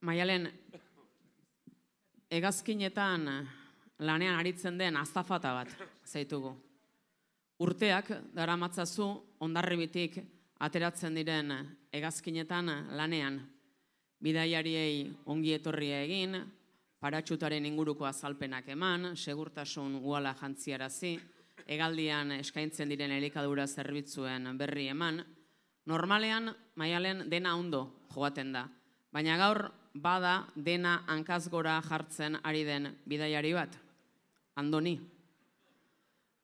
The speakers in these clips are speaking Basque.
Maialen, hegazkinetan lanean aritzen den azafata bat zaitugu. Urteak daramatzazu Hondarribitik ateratzen diren hegazkinetan lanean. Bidaiariei ongi etorria egin, paratxutaren inguruko azalpenak eman, segurtasun uhala jantziarazi, hegaldian eskaintzen diren elikadura zerbitzuen berri eman. Normalean, Maialen, dena ondo joaten da, baina gaur bada dena hankaz gora jartzen ari den bidaiari bat. Andoni.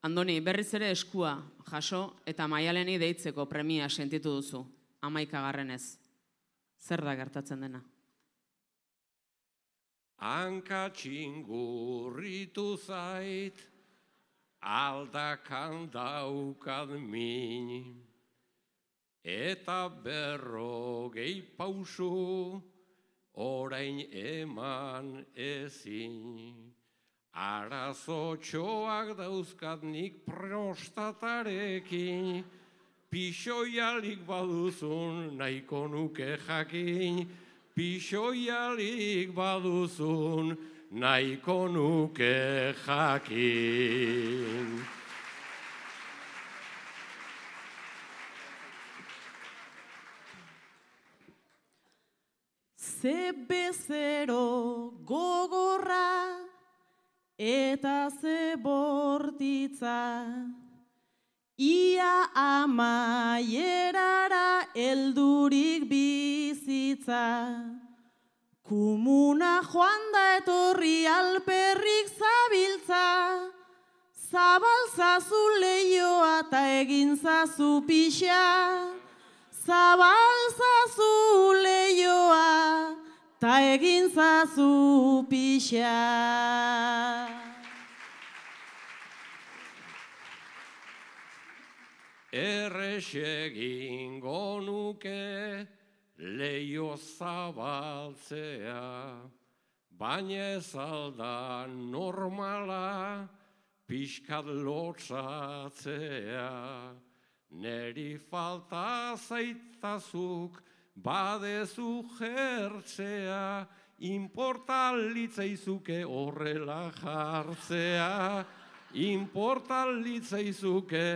Andoni, berriz ere eskua jaso eta Maialeni deitzeko premia sentitu duzu, 11. Zer da gertatzen dena? Hanka txingurritu zait, aldakan daukad min, eta 50 pausu orain eman ezin. Arazotxoak dauzkat nik prostatarekin, pixoialik baduzun nahiko nuke jakin, pixoialik baduzun nahiko nuke jakin. Ze bezero gogorra eta ze bortitza, ia amaierara heldurik bizitza. Kumuna joan da etorri alperrik zabiltza, zabaltzazu leioa eta egintzazu pixa. Zabaltzazu leioa ta egintzazu pixa. Erresegingo nuke leio zabaltzea, baina ez alda normala pixkat lotsatzea. Neri falta zaitazuk badezu jertzea, inportalitzaizuke horrela jartzea, inportalitzaizuke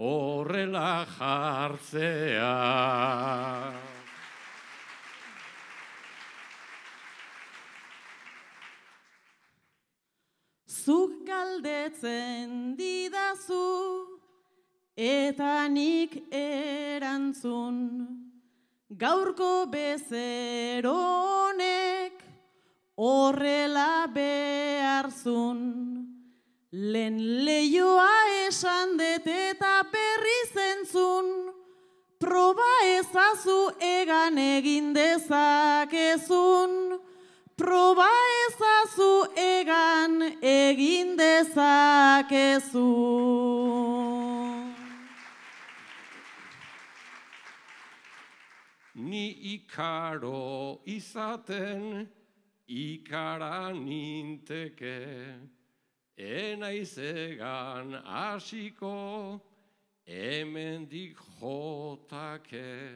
horrela jartzea. Zuk galdetzen didazu, eta nik erantzun, gaurko bezero honek horrela beharzun. Lehen leioa esan dut eta berri zentzun, proba ezazu egan egin dezakezun. Proba ezazu egan egin dezakezun. Ni ikaro izaten, ikara ninteke, enaiz egan hasiko, hemendik jotake.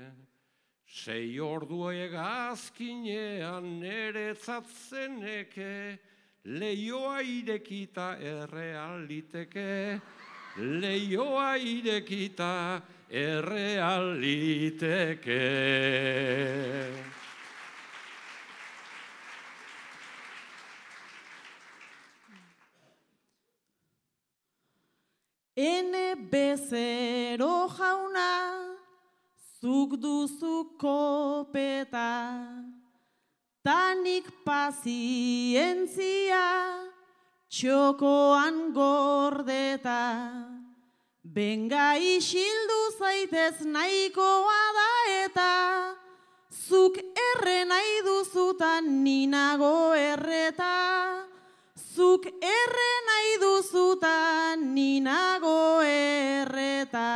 6 ordu hegazkinean neretzat zeneke, leioa irekita errealiteke, leioa irekita errealiteke. Ene bezero jauna, zuk duzu kopeta, tanik pazientzia, txokoan gordeta. Benga isildu zaitez nahikoa da eta, zuk erre nahi duzutan ninago erreta. Zuk erre nahi duzutan ninago erreta.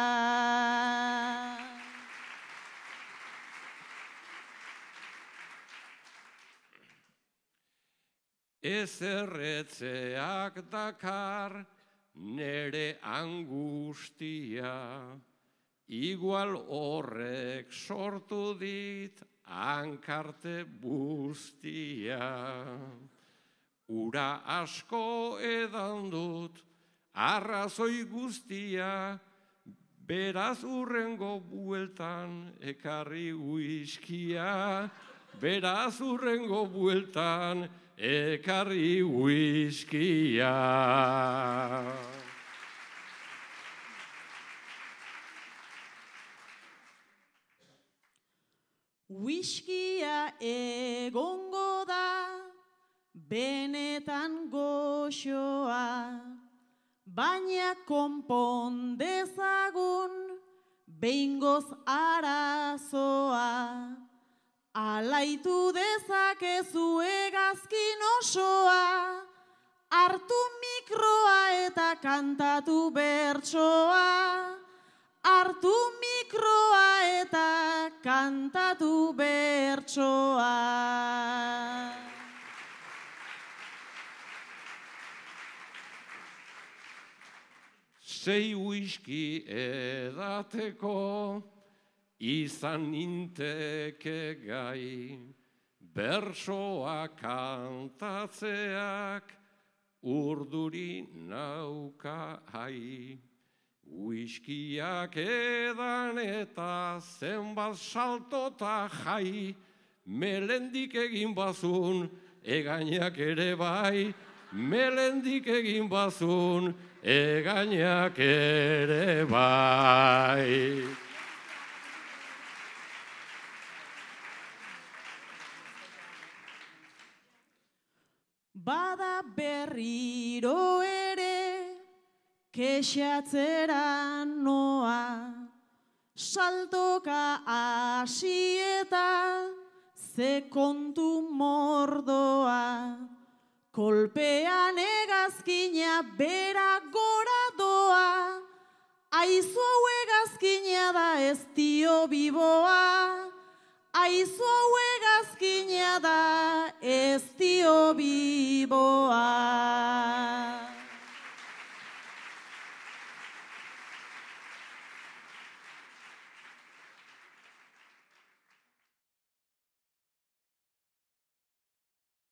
Ez erretzeak dakar nere angustia, igual horrek sortu dit hankarte buztia. Ura asko edan dut, arrazoi guztia, beraz urrengo bueltan ekarri uiskia. Beraz urrengo bueltan ekarri uiskia. Whiskia egongo da, benetan goxoa, baina konpon dezagun, behingoz arazoa. Alaitu dezakezu hegazkin osoa, hartu mikroa eta kantatu bertsoa. Hartu mikroa eta kantatu bertsoa. Sei whisky edateko, izan ninteke gai, bersoa kantatzeak urduri nauka hai. Whiskiak edan eta zenbat saltota jai, melendik egin bazun, egainak ere bai, melendik egin bazun, egainak ere bai. Bada berriro ere, kexatzera noa, saltoka hasi eta ze kontu mordoa. Kolpean hegazkina bera gora doa, aizu hau hegazkina da ez dio biboa. Aizu hau hegazkina da ez dio biboa.